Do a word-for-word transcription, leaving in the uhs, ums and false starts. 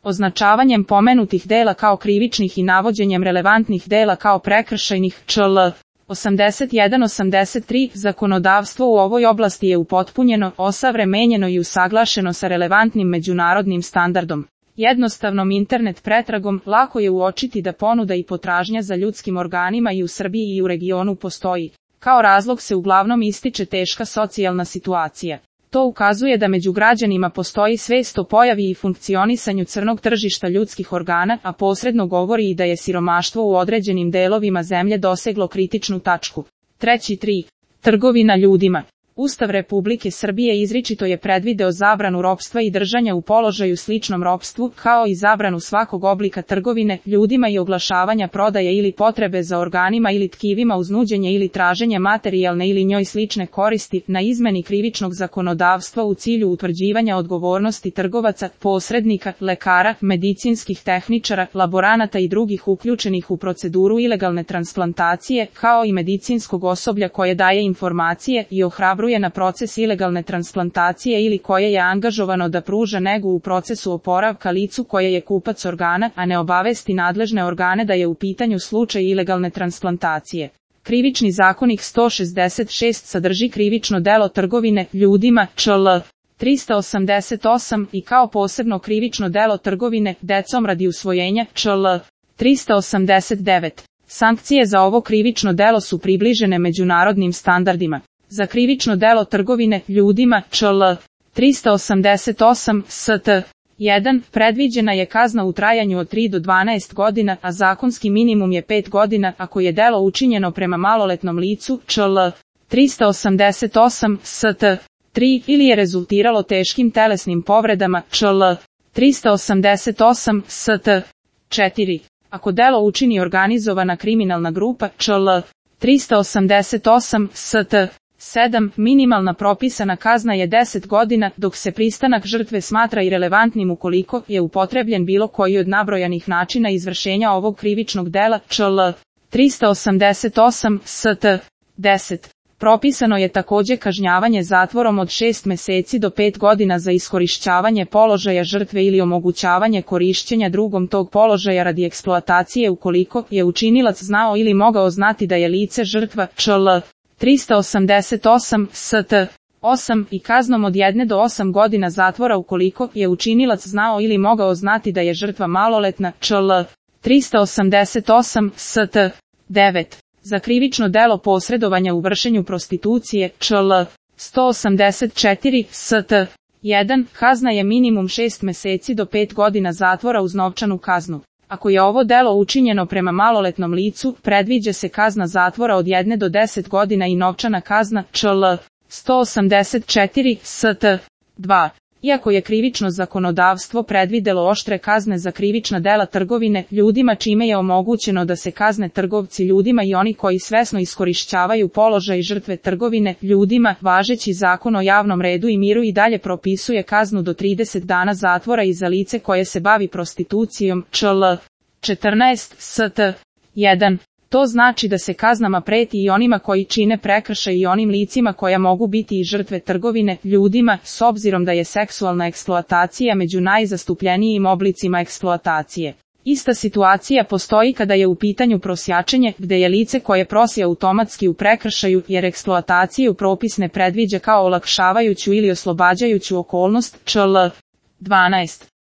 označavanjem pomenutih dela kao krivičnih i navođenjem relevantnih dela kao prekršajnih, čl. osamdeset jedan osamdeset tri, zakonodavstvo u ovoj oblasti je upotpunjeno, osavremenjeno i usaglašeno sa relevantnim međunarodnim standardom. Jednostavnom internet pretragom lako je uočiti da ponuda i potražnja za ljudskim organima i u Srbiji i u regionu postoji. Kao razlog se uglavnom ističe teška socijalna situacija. To ukazuje da među građanima postoji svest o pojavi i funkcionisanju crnog tržišta ljudskih organa, a posredno govori i da je siromaštvo u određenim delovima zemlje doseglo kritičnu tačku. Treći tri. Trgovina ljudima. Ustav Republike Srbije izričito je predvideo zabranu ropstva i držanja u položaju sličnom ropstvu, kao i zabranu svakog oblika trgovine ljudima i oglašavanja prodaje ili potrebe za organima ili tkivima uz nuđenje ili traženje materijalne ili njoj slične koristi, na izmeni krivičnog zakonodavstva u cilju utvrđivanja odgovornosti trgovaca, posrednika, lekara, medicinskih tehničara, laboranata i drugih uključenih u proceduru ilegalne transplantacije, kao i medicinskog osoblja koje daje informacije i ohrabruje na proces ilegalne transplantacije ili koje je angažovano da pruža negu u procesu oporavka licu koje je kupac organa, a ne obavesti nadležne organe da je u pitanju slučaj ilegalne transplantacije. Krivični zakonik sto šezdeset šest sadrži krivično delo trgovine ljudima, čl. tristo osamdeset osam, i kao posebno krivično delo trgovine decom radi usvojenja, čl. tristo osamdeset devet. Sankcije za ovo krivično delo su približene međunarodnim standardima. Za krivično delo trgovine ljudima, čl. tristo osamdeset osam, st. jedan, predviđena je kazna u trajanju od tri do dvanaest godina, a zakonski minimum je pet godina ako je delo učinjeno prema maloletnom licu, čl. tristo osamdeset osam, st. tri, ili je rezultiralo teškim telesnim povredama, čl. tristo osamdeset osam, st. četiri. Ako delo učini organizovana kriminalna grupa, čl. tristo osamdeset osam, st. sedam. Minimalna propisana kazna je deset godina, dok se pristanak žrtve smatra irelevantnim ukoliko je upotrebljen bilo koji od nabrojanih načina izvršenja ovog krivičnog dela, čl. tristo osamdeset osam, st. deset. Propisano je takođe kažnjavanje zatvorom od šest meseci do pet godina za iskorišćavanje položaja žrtve ili omogućavanje korišćenja drugom tog položaja radi eksploatacije ukoliko je učinilac znao ili mogao znati da je lice žrtva, čl. tristo osamdeset osam, st. osam, i kaznom od jedne do osam godina zatvora ukoliko je učinilac znao ili mogao znati da je žrtva maloletna, čl. tristo osamdeset osam, st. devet. Za krivično delo posredovanja u vršenju prostitucije, čl. sto osamdeset četiri, st. jedan, kazna je minimum šest meseci do pet godina zatvora uz novčanu kaznu. Ako je ovo delo učinjeno prema maloletnom licu, predviđa se kazna zatvora od jedne do deset godina i novčana kazna, čl. sto osamdeset četiri, st. dva. Iako je krivično zakonodavstvo predvidelo oštre kazne za krivična dela trgovine ljudima čime je omogućeno da se kazne trgovci ljudima i oni koji svesno iskorišćavaju položaj žrtve trgovine ljudima, važeći zakon o javnom redu i miru i dalje propisuje kaznu do trideset dana zatvora i za lice koje se bavi prostitucijom, čl. četrnaest, st. jedan. To znači da se kaznama preti i onima koji čine prekršaj i onim licima koja mogu biti i žrtve trgovine ljudima, s obzirom da je seksualna eksploatacija među najzastupljenijim oblicima eksploatacije. Ista situacija postoji kada je u pitanju prosjačenje, gde je lice koje prosi automatski u prekršaju, jer eksploataciju propis ne predviđa kao olakšavajuću ili oslobađajuću okolnost, čl. dvanaest.